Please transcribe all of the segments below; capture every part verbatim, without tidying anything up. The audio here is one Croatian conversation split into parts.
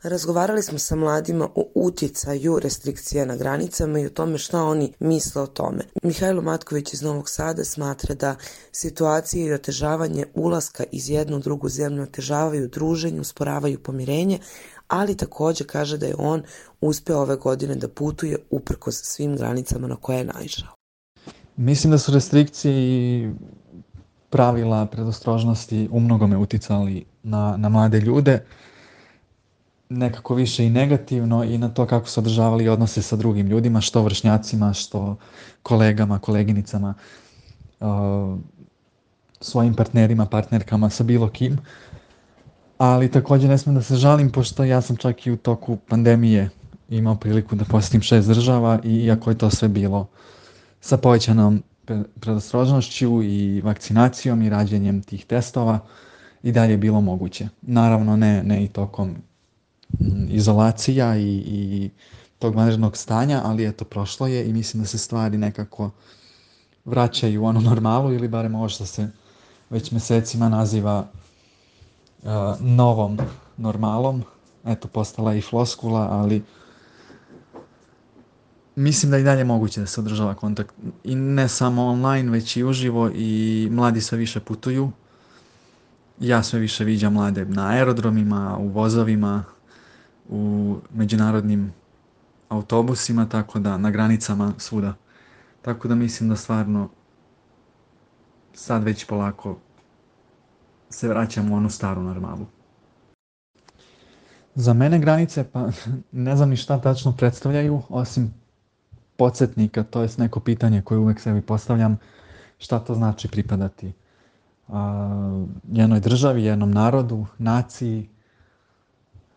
Razgovarali smo sa mladima o utjecaju restrikcija na granicama i o tome šta oni misle o tome. Mihajlo Matković iz Novog Sada smatra da situacije i otežavanje ulaska iz jednu u drugu zemlju otežavaju druženje, usporavaju pomirenje, ali također kaže da je on uspeo ove godine da putuje uprkos svim granicama na koje je naišao. Mislim da su restrikcije i pravila predostrožnosti umnogome uticali na, na mlade ljude, nekako više i negativno i na to kako su održavali odnose sa drugim ljudima, što vršnjacima, što kolegama, koleginicama, uh, svojim partnerima, partnerkama, sa bilo kim. Ali također ne smijem da se žalim, pošto ja sam čak i u toku pandemije imao priliku da posjetim šest država i iako je to sve bilo sa povećanom predostrožnošću i vakcinacijom i rađenjem tih testova, i dalje je bilo moguće. Naravno ne, ne i tokom izolacija i, i tog vanrednog stanja, ali eto, prošlo je i mislim da se stvari nekako vraćaju u onu normalu ili barem ovo što se već mjesecima naziva uh, novom normalom. Eto, postala je i floskula, ali mislim da i dalje moguće da se održava kontakt i ne samo online, već i uživo i mladi sve više putuju. Ja sve više viđam mlade na aerodromima, u vozovima, u međunarodnim autobusima, tako da na granicama svuda. Tako da mislim da stvarno sad već polako se vraćamo u onu staru normalu. Za mene granice, pa ne znam ni šta tačno predstavljaju, osim podsjetnika, to je neko pitanje koje uvek sebi postavljam, šta to znači pripadati a, jednoj državi, jednom narodu, naciji,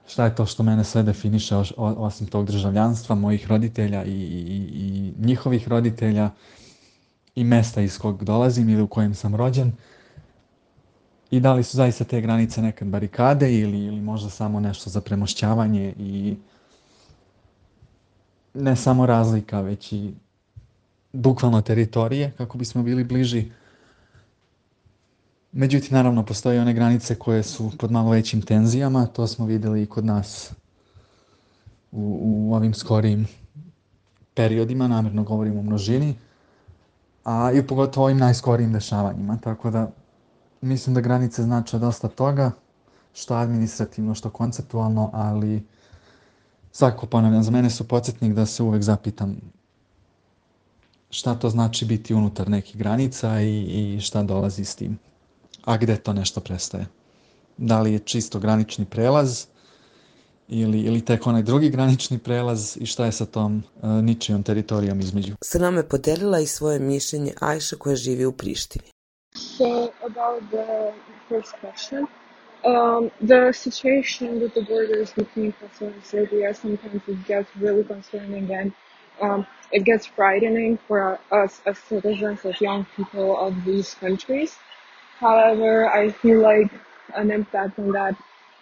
šta je to što mene sve definiše osim tog državljanstva, mojih roditelja i, i, i njihovih roditelja i mesta iz kog dolazim ili u kojem sam rođen. I da li su zaista te granice nekad barikade ili, ili možda samo nešto za premošćavanje i ne samo razlika, već i bukvalno teritorije kako bismo bili bliži. Međutim, naravno, postoje one granice koje su pod malo većim tenzijama, to smo vidjeli i kod nas u, u ovim skorijim periodima, namjerno govorim o množini, a i pogotovo ovim najskorijim dešavanjima, tako da mislim da granice znače dosta toga, što administrativno, što konceptualno, ali svakako ponavljam, za mene su podsjetnik da se uvek zapitam šta to znači biti unutar nekih granica i, i šta dolazi s tim. A gde to nešto prestaje? Da li je čisto granični prelaz ili, ili tek onaj drugi granični prelaz i šta je sa tom uh, ničijom teritorijom između? Sa nama je podelila i svoje mišljenje Ajša koja živi u Prištini. So about the first question, um, the situation with the borders between Kosovo and Serbia, sometimes it gets really concerning and um, it gets frightening for us as citizens, as young people of these countries. However, I feel like an impact on that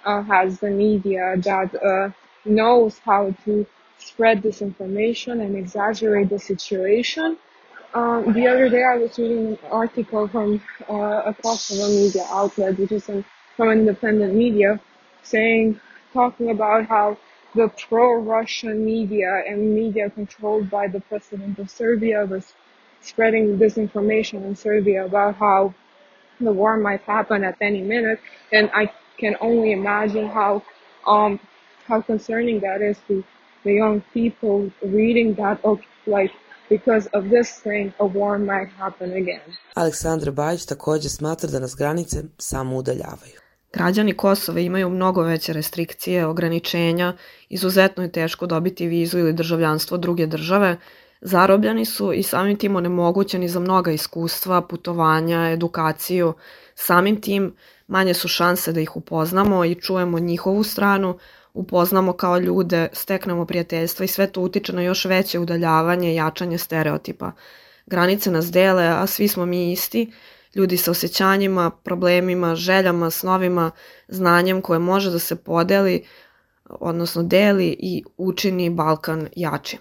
uh, has the media that uh, knows how to spread disinformation and exaggerate the situation. Um, the other day I was reading an article from uh, a Kosovo media outlet, which is an, from an independent media, saying, talking about how the pro-Russian media and media controlled by the president of Serbia was spreading disinformation in Serbia about how the war might happen at any minute, and I can only imagine how um how concerning that is to the young people reading that, of like, because of this thing a war might happen again. Aleksandra Bajić također smatra da nas granice samo udaljavaju. Građani Kosova imaju mnogo veće restrikcije, ograničenja, izuzetno je teško dobiti vizu ili državljanstvo druge države, zarobljeni su i samim tim onemogućeni za mnoga iskustva, putovanja, edukaciju. Samim tim manje su šanse da ih upoznamo i čujemo njihovu stranu, upoznamo kao ljude, steknemo prijateljstva i sve to utiče na još veće udaljavanje i jačanje stereotipa. Granice nas dele, a svi smo mi isti, ljudi sa osjećanjima, problemima, željama, snovima, znanjem koje može da se podeli, odnosno deli i učini Balkan jačim.